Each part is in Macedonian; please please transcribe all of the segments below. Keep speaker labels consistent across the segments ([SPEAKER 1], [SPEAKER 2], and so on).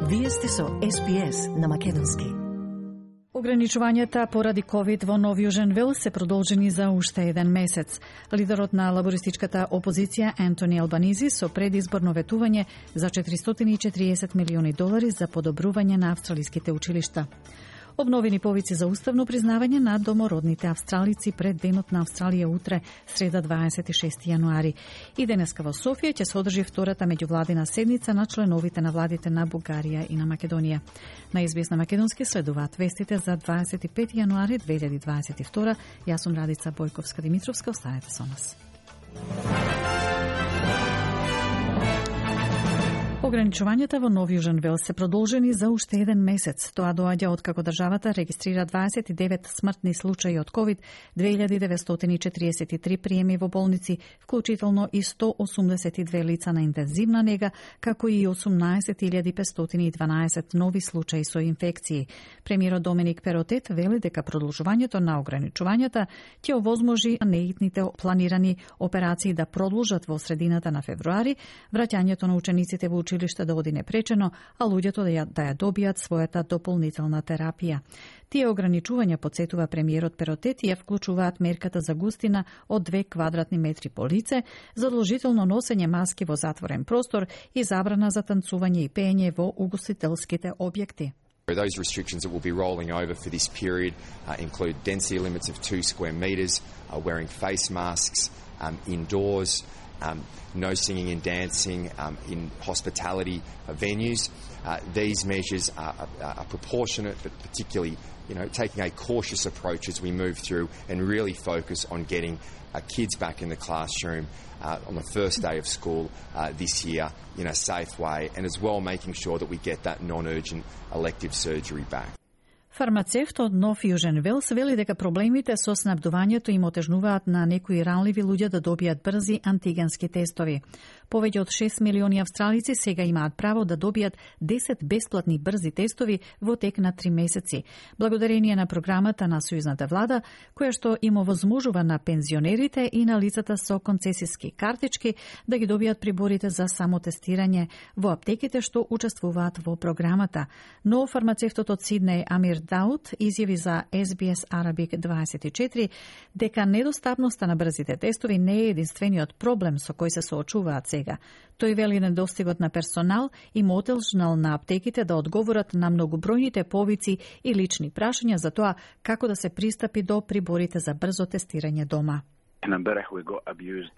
[SPEAKER 1] Вие сте со SBS на македонски.
[SPEAKER 2] Ограничувањата поради ковид во Нов Јужен Велс се продолжени за уште еден месец. Лидерот на лабористичката опозиција Ентони Албанизи со предизборно ветување за $440 милиони за подобрување на австралиските училишта. Обновени повици за уставно признавање на домородните австралици пред Денот на Австралија утре, среда 26 јануари. И денеска во Софија ќе се одржи втората меѓувладина седница на членовите на владите на Бугарија и на Македонија. На SBS на македонски следуваат вестите за 25 јануари 2022. Јас сум Радица Бојковска-Димитровска, останете со нас. Ограничувањата во Нов Јужен Велс се продолжени за уште еден месец. Тоа доаѓа откако државата регистрира 29 смртни случаи од ковид, 2943 приеми во болници, вклучително и 182 лица на интензивна нега, како и 18512 нови случаи со инфекции. Премиерот Доминик Перотет вели дека продолжувањето на ограничувањата ќе овозможи неитните планирани операции да продолжат во средината на февруари, враќањето на учениците во училиште да оди непречено, а луѓето да ја добијат својата дополнителна терапија. Тие ограничувања, подсетува премиерот Перотет, ја вклучуваат мерката за густина од 2 квадратни метри по лице, задолжително носење маски во затворен простор и забрана за танцување и пеење во угостителските објекти.
[SPEAKER 3] Those restrictions that will be rolling over for this period include density limits of 2 square metres, wearing face masks indoors, no singing and dancing in hospitality venues. These measures are proportionate, but particularly, taking a cautious approach as we move through and really focus on getting kids back in the classroom on the first day of school this year in a safe way, and as well making sure that we get that non-urgent elective surgery back.
[SPEAKER 2] Фармацевт од Нов Јужен Велс вели дека проблемите со снабдувањето им отежнуваат на некои ранливи луѓе да добијат брзи антигенски тестови. Повеќе од 6 милиони австралици сега имаат право да добијат 10 бесплатни брзи тестови во тек на 3 месеци, благодарение на програмата на Сојузната влада, која што им овозможува на пензионерите и на лицата со концесиски картички да ги добијат приборите за самотестирање во аптеките што учествуваат во програмата. Но фармацевтот од Сиднеј Амир Дауд изјави за SBS Arabic 24 дека недостапноста на брзите тестови не е единствениот проблем со кој се соочуваат сега. Тој вели недостигот на персонал им отежнал на аптеките да одговорат на многобројните повици и лични прашања за тоа како да се пристапи до приборите за брзо тестирање дома.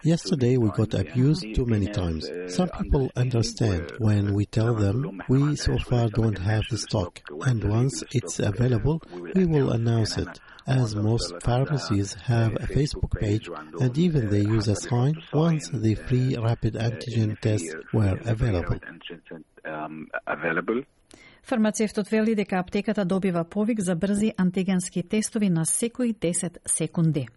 [SPEAKER 4] Yesterday we got abused too many times. Some people understand when we tell them we so far don't have the stock, and once it's available, we will announce it. As most pharmacies have a Facebook page, and even they use a sign once the free rapid antigen tests were available.
[SPEAKER 2] Фармацевтот вели дека аптеката добива повик за брзи антигенски тестови на секои 10 секунди.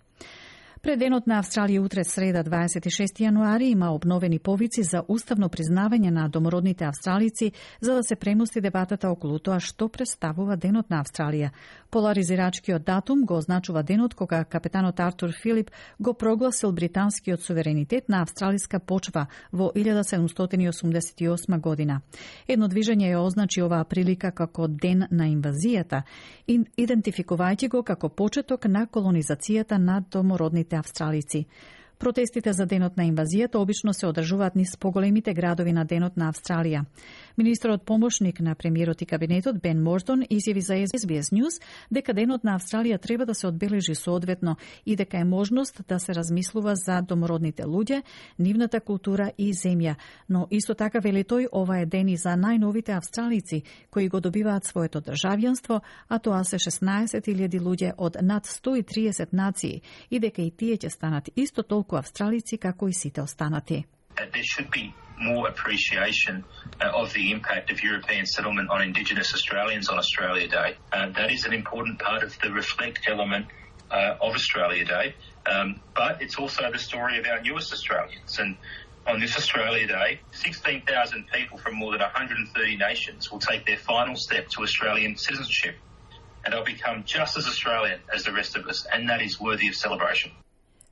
[SPEAKER 2] Пред Денот на Австралија утре, среда 26 јануари, има обновени повици за уставно признавање на домородните австралици за да се премости дебатата околу тоа што представува Денот на Австралија. Поларизирачкиот датум го означува денот кога капетанот Артур Филип го прогласил британскиот суверенитет на австралиска почва во 1788 година. Едно движење ја означи оваа прилика како ден на инвазијата, идентификувајќи го како почеток на колонизацијата на домородните австралици. Протестите за денот на инвазијата обично се одржуваат низ поголемите градови на денот на Австралија. Министерот помошник на премиерот и кабинетот Бен Мордон изјави за SBS News дека денот на Австралија треба да се одбележи соодветно и дека е можност да се размислува за домородните луѓе, нивната култура и земја. Но исто така вели тој, ова е ден и за најновите австралици кои го добиваат своето државјанство, а тоа се 16.000 луѓе од над 130 нации и дека и тие ќе станат исто толку австралици како и сите останати.
[SPEAKER 5] There should be more appreciation of the impact of European settlement on Indigenous Australians on Australia Day. That is an important part of the reflect element of Australia Day, but it's also the story of our newest Australians. And on this Australia Day, 16,000 people from more than 130 nations will take their final step to Australian citizenship, and they'll become just as Australian as the rest of us, and that is worthy of celebration.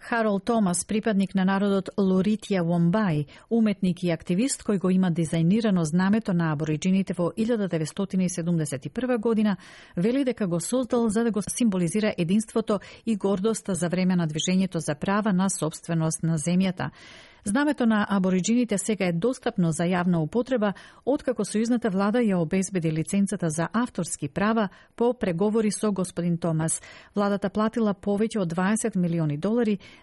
[SPEAKER 2] Харолд Томас, припадник на народот Лоритја Вомбај, уметник и активист кој го има дизајнирано знамето на абориджините во 1971 година, вели дека го создал за да го символизира единството и гордоста за време на движењето за права на собственост на земјата. Знамето на абориджините сега е достапно за јавна употреба, откако сојузната влада ја обезбеди лиценцата за авторски права по преговори со господин Томас. Владата платила повеќе од $20 милиони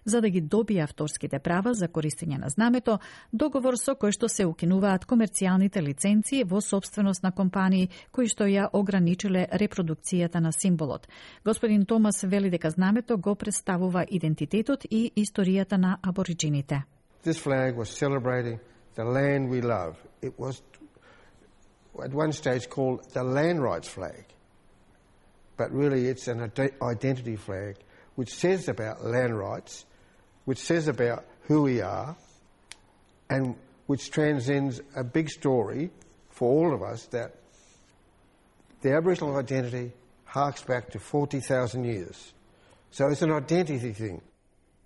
[SPEAKER 2] за да ги добие авторските права за користење на знамето, договор со кој што се укинуваат комерцијалните лиценци во собственост на компании кои што ја ограничиле репродукцијата на символот. Господин Томас вели дека знамето го представува идентитетот и историјата на абориджините.
[SPEAKER 6] This flag was celebrating the land we love. It was at one stage called the land rights flag. But really it's an identity flag which says about land rights, which says about who we are, and which transcends a big story for all of us that the Aboriginal identity harks back to 40,000 years. So it's an identity thing.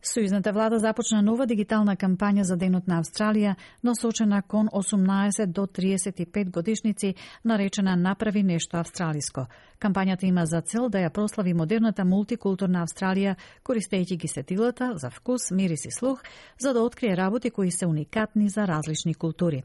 [SPEAKER 2] Сојузната влада започна нова дигитална кампања за Денот на Австралија, насочена кон 18 до 35 годишници, наречена Направи нешто австралиско. Кампањата има за цел да ја прослави модерната мултикултурна Австралија, користејќи ги сетилата за вкус, мирис и слух, за да открие работи кои се уникатни за различни култури.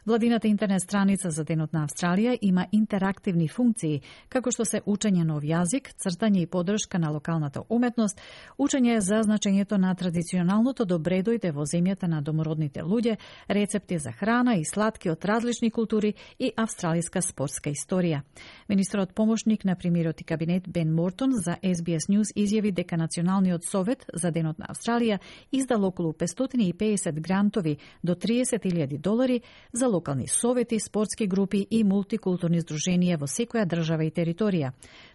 [SPEAKER 2] Владината интернет страница за Денот на Австралија има интерактивни функции, како што се учење нов јазик, цртање и поддршка на локалната уметност, учење за значењето на традиционалното добре дојде во земјата на домородните луѓе, рецепти за храна и сладки од различни култури и австралиска спортска историја. Министерот помошник на премиерот и кабинет Бен Мортон за SBS News изјави дека Националниот совет за Денот на Австралија издал околу 550 грантови до $30,000 за локални совети, спортски групи и мултикултурни здруженија во секоја држава и територија.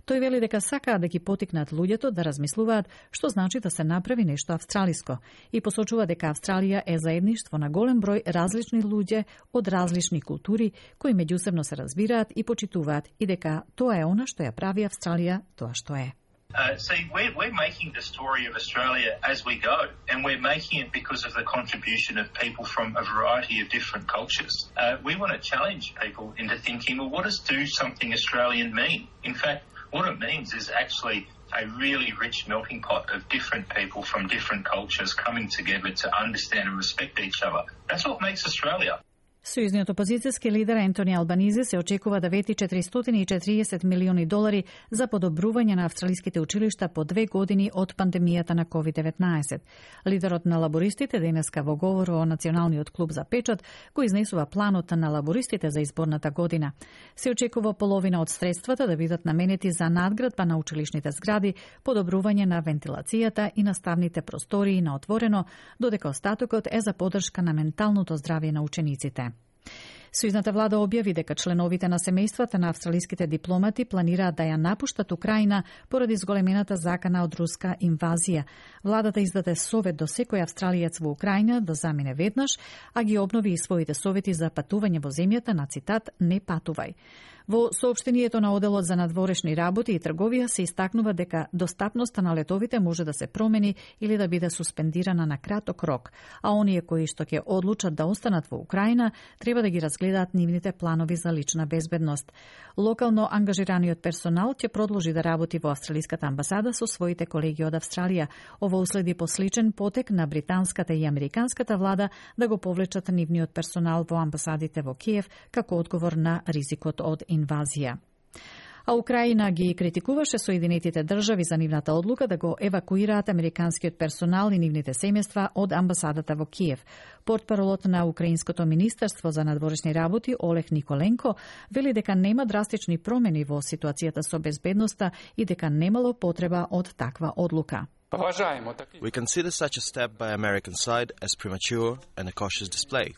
[SPEAKER 2] Тој вели дека сакаат да ги потикнат луѓето да размислуваат што значи да се направи нешто австралиско и посочува дека Австралија е заедништво на голем број различни луѓе од различни култури кои меѓусебно се разбираат и почитуваат и дека тоа е она што ја прави Австралија тоа што е.
[SPEAKER 5] See, we're making the story of Australia as we go, and we're making it because of the contribution of people from a variety of different cultures. We want to challenge people into thinking, well, what does do something Australian mean? In fact, what it means is actually a really rich melting pot of different people from different cultures coming together to understand and respect each other. That's what makes Australia.
[SPEAKER 2] Сојузниот опозицијски лидер Ентони Албанизи се очекува да вети $440 милиони за подобрување на австралиските училишта по 2 години од пандемијата на COVID-19. Лидерот на лабористите денеска во говор о Националниот клуб за печат го изнесува планот на лабористите за изборната година. Се очекува половина од средствата да бидат наменети за надградба на училишните згради, подобрување на вентилацијата и наставните простории на отворено, додека остатокот е за поддршка на менталното здравје на учениците. Сојузната влада објави дека членовите на семејствата на австралиските дипломати планираат да ја напуштат Украина поради зголемената закана од руска инвазија. Владата издаде совет до секој австралиец во Украина да замине веднаш, а ги обнови и своите совети за патување во земјата на цитат «Не патувај». Во соопштението на Оделот за надворешни работи и трговија се истакнува дека достапноста на летовите може да се промени или да биде суспендирана на краток рок, а оние кои што ќе одлучат да останат во Украина треба да ги разгледаат нивните планови за лична безбедност. Локално ангажираниот персонал ќе продолжи да работи во австралиската амбасада со своите колеги од Австралија. Ово уследи посличен потек на британската и американската влада да го повлечат нивниот персонал во амбасадите во Киев како одговор на ризикот од инвазија. А Украина ги критикуваше Соединетите држави за нивната одлука да го евакуираат американскиот персонал и нивните семејства од амбасадата во Киев. Портпаролот на Украинското министерство за надворешни работи Олег Николенко вели дека нема драстични промени во ситуацијата со безбедноста и дека немало потреба од таква одлука.
[SPEAKER 7] We consider such a step by American side as premature and a cautious display.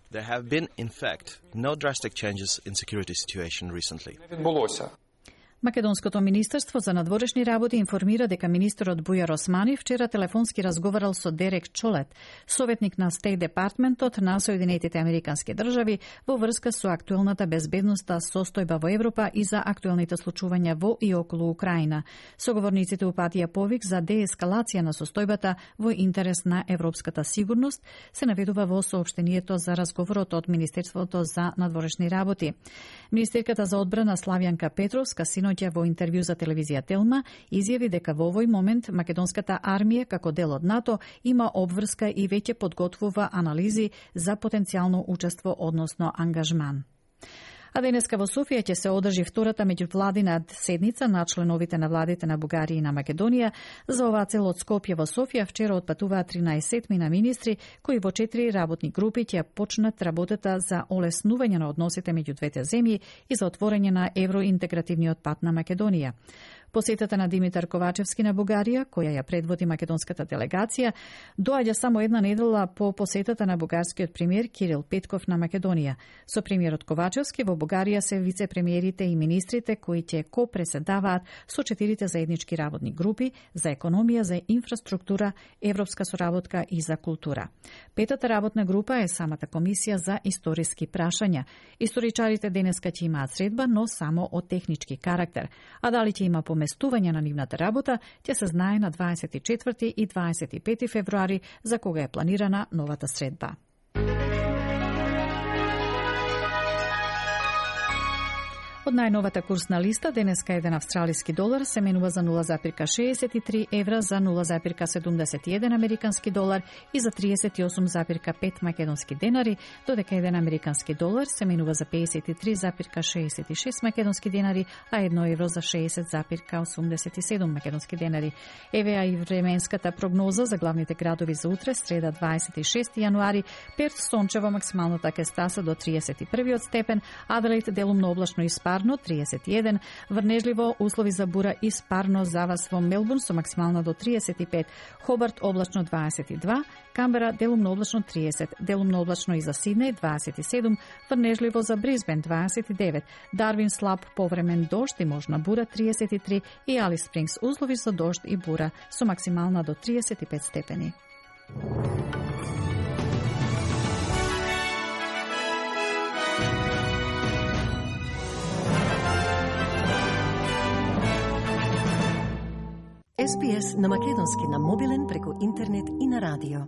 [SPEAKER 7] There have been, in fact, no drastic changes in security situation recently.
[SPEAKER 2] Македонското министерство за надворешни работи информира дека министерот Бујар Османи вчера телефонски разговарал со Дерек Чолет, советник на Стейт Департментот на Соединетите Американски држави во врска со актуелната безбедностна состојба во Европа и за актуелните случувања во и околу Украина. Соговорниците упатија повик за деескалација на состојбата во интерес на европската сигурност, се наведува во соопштението за разговорот од Министерството за надворешни работи. Министерката за одбрана Славјанка Петровска синоќа во интервју за телевизија Телма изјави дека во овој момент македонската армија како дел од НАТО има обврска и веќе подготвува анализи за потенцијално учество, односно ангажман. А денеска во Софија ќе се одржи втората меѓувладина седница на членовите на владите на Бугарија и на Македонија. За оваа цел од Скопје во Софија вчера отпатуваа 13 на министри кои во 4 работни групи ќе почнат работата за олеснување на односите меѓу двете земји и за отворање на евроинтегративниот пат на Македонија. Посетата на Димитар Ковачевски на Бугарија, која ја предводи македонската делегација, доаѓа само една недела по посетата на бугарскиот премиер Кирил Петков на Македонија. Со премиерот Ковачевски во Бугарија се вице-премиерите и министрите кои ќе ко-преседаваат со 4 заеднички работни групи за економија, за инфраструктура, европска соработка и за култура. Петата работна група е самата комисија за историски прашања. Историчарите денеска ќе имаат средба, но само од технички карактер. А дали ќе има поместување на нивната работа, ќе се знае на 24 и 25 февруари, за кога е планирана новата средба. Од најновата курсна листа, денеска еден австралиски долар се менува за 0,63 евра, за 0,71 американски долар и за 38,5 македонски денари, додека еден американски долар се менува за 53,66 македонски денари, а 1 евро за 60,87 македонски денари. Евеа и временската прогноза за главните градови за утре, среда 26 јануари, Перт сончево, максималната ќе стаса до 31 степен, Аделаид делумно облачно и спарно 31, врнежливо услови за бура и спарно завас во Мелбурн со максимална до 35, Хобарт облачно 22, Камбера делумно облачно 30, делумно облачно и за Сиднеј 27, врнежливо за Брисбен 29, Дарвин слаб повремен дожд и можна бура 33 и Алис Спрингс услови за дожд и бура со максимална до 35 степени.
[SPEAKER 1] SPS на македонски на мобилен преку интернет и на радио.